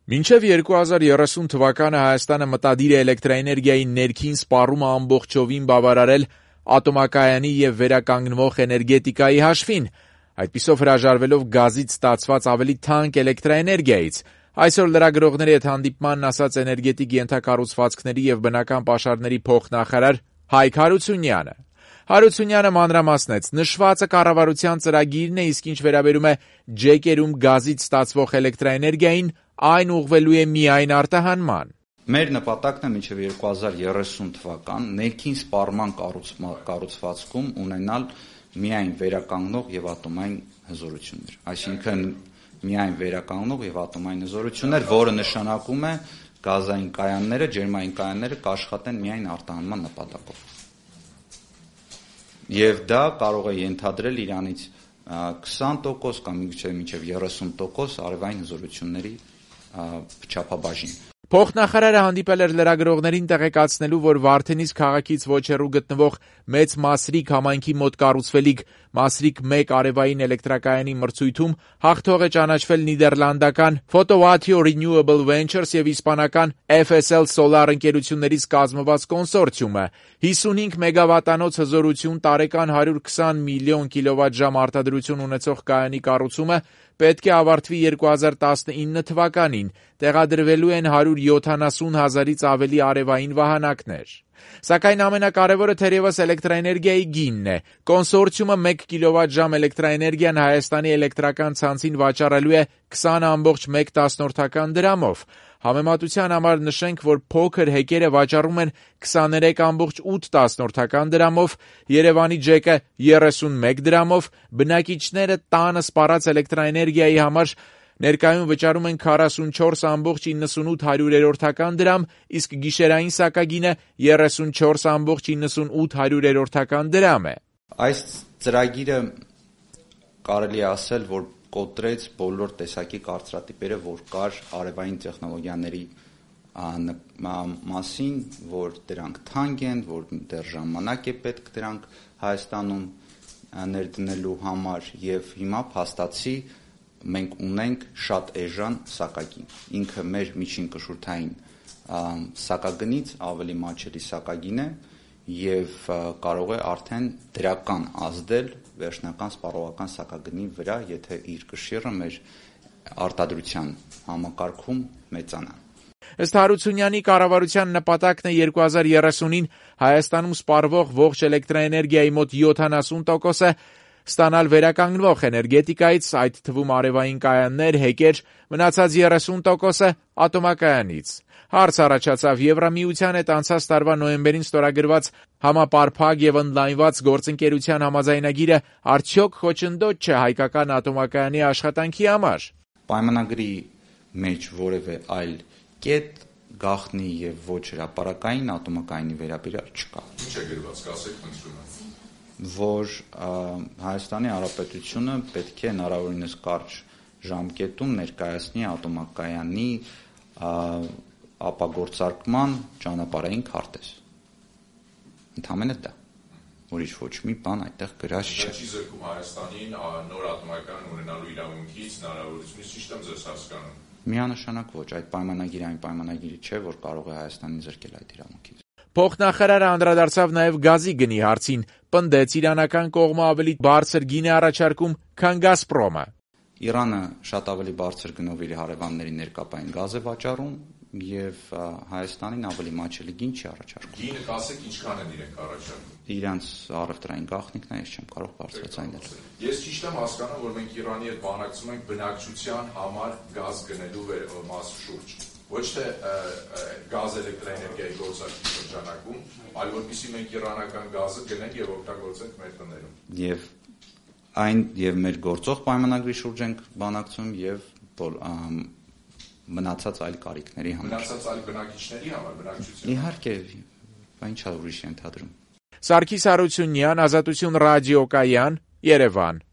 Մինչև 2030 թվականը Հայաստանը մտադիր է էլեկտրաէներգիայի ներքին սպառումը ամբողջովին բավարարել ատոմակայանի և վերականգնվող էներգետիկայի հաշվին, այդպիսով հրաժարվելով գազից ստացված ավելի թանկ էլեկտրաէներգիայից։ Այսօր լրագրողների հետ հանդիպմանն ասաց էներգետիկ ենթակառուցվածքների և բնական պաշարների փոխնախարար Հայկ Հարությունյանը։ Հարությունյանը մանրամասնեց, նշվածը կառավարության ծրագիրն է, իսկ ինչ վերաբերում է ջեկերում գազից ստացվող էլեկտրաէներգիային, այն ուղղվելու է միայն արտահանման։ Մեր նպատակն է մինչև 2030 թվական ներքին սպառման կառուցվածքում ունենալ միայն վերականգնող և ատոմային հզորություններ, այսինքն միայն վերականգնող և ատոմային հզորություններ, որը նշանակում է գազային կայանները, ջերմային կայանները կաշխատեն միայն արտահանման նպատակով։ Եվ դա կարող է ենթադրել իրանից 20% կամ միգուցե մինչև 30% արևային հզորությունների չափաբաժին։ Փոխնախարարը հանդիպել էր լրագրողներին տեղեկացնելու, որ Վարդենիս քաղաքից ոչ հեռու գտնվող Մեծ Մասրիկ համայնքի մոտ կառուցվելիք Մասրիկ 1 արևային էլեկտրակայանի մրցույթում հաղթող է ճանաչվել նիդերլանդական Photowattio Renewable Ventures և իսպանական FSL Solar ընկերություններից կազմված կոնսորցիումը։ 55 մեգավատանոց հզորություն, տարեկան 120 միլիոն կիլովատժամ արտադրություն ունեցող կայանի կառուցումը պետք է ավարտվի 2019 թվականին, տեղադրվելու են 170 հազարից ավելի արևային վահանակներ։ Սակայն ամենակարևորը թերևս էլեկտրաէներգիայի գինն է։ Կոնսորցիումը 1 կիլովատժամ էլեկտրաէներգիան Հայաստանի էլեկտրական ցանցին վաճառելու է 20,1 դրամով։ Համեմատության համար նշենք, որ փոքր հեկերը վաճառում են 23,8 դրամով, Երևանի ջեկը 31 դրամով, բնակիչները տանը սպառած էլեկտրաէներգիայի համար ներկայում վճարում են 44,98 դրամ, իսկ գիշերային սակագինը 34,98 դրամ է։ Այս ծրագիրը կարելի է ասել, որ կոտրեց բոլոր տեսակի կարծրատիպերը, որ կար արևային տեխնոլոգիաների մասին, որ դրանք թանկ են, որ դեռ ժամանակ է պետք դրանք Հայաստանում ներդնելու համար, եւ հիմա փաստացի մենք ունենք շատ էժան սակագին։ Ինքը մեր միջին կշռթային սակագնից ավելի մատչելի սակագին է եւ կարող է արդեն դրական ազդել վերջնական սպառողական սակագնի վրա, եթե իր կշիռը մեր արտադրության համակարգում մեծանա։ Ըստ Հարությունյանի, կառավարության նպատակն է 2030-ին Հայաստանում սպառվող ողջ էլեկտրաէներգիայի մոտ 70%-ը ստանալ վերականգնվող էներգետիկայից, այդ թվում արևային կայաններ, հեկեր, մնացած 30%-ը ատոմակայանից։ Հարց առաջացավ Եվրամիության հետ անցած տարվա նոյեմբերին ստորագրված համապարփակ եւ ընդլայնված գործընկերության համաձայնագիրը արդյոք խոչընդոտ չէ հայկական ատոմակայանի աշխատանքի համար։ Պայմանագրի մեջ որևէ այլ կետ, գաղտնի եւ ոչ հրապարակային ատոմակայանի վերաբերյալ չկա։ Ինչ է գրված, կասեք խնդրում եմ։ Որ Հայաստանի Հանրապետությունը պետք է հնարավորինս կարճ ժամկետում ներկայացնի ատոմակայանի ապագործարկման ճանապարհային քարտեզ։ Ընդհանրապես դա։ Ուրիշ ոչ մի բան այդտեղ գրած չէ։ Չի զրկում Հայաստանին նոր ատոմակայան ունենալու իրավունքից, հնարավորությունից, ճիշտ եմ ձեզ հասկանում։ Միանշանակ ոչ, այդ պայմանագիրը այն պայմանագիրը չէ, որ կարող է Հայաստանին զրկել այդ իրավունքից։ Փոխնախարարը անդրադարձավ նաև գազի գնի հարցին, պնդեց իրանական կողմը ավելի բարձր գին է առաջարկում, քան Գազպրոմը։ Իրանը շատ ավելի բարձր գնով իր հարևանների ներկապային գազ է վաճառում եւ Հայաստանին ավելի մատչելի գին չի առաջարկում։ Գինը կասեք ինչքան են իրենք առաջարկում։ Իրանց առևտրային գաղտնիքն է, ես չեմ կարող բարձրացնել։ Ես ճիշտ եմ հասկանում, որ մենք Իրանի հետ բանակցում ենք բնակչության համար գազ գնելու մաս շուրջ։ Ոչ թե գազ էլեկտրաէներգիայի գործարկի շրջանակում, այլ որպեսզի մենք իրանական գազը գնենք եւ օգտագործենք մեր տներում։ Եվ մեր գործող պայմանագրի շուրջ ենք բանակցում եւ մնացած այլ կարիքների համար։ Մնացած այլ բնակիչների համար, բնակչության։ Իհարկե, ինչ ուրիշ ենթադրում։ Սարգիս Հարությունյան, Ազատություն ռադիոկայան, Երևան։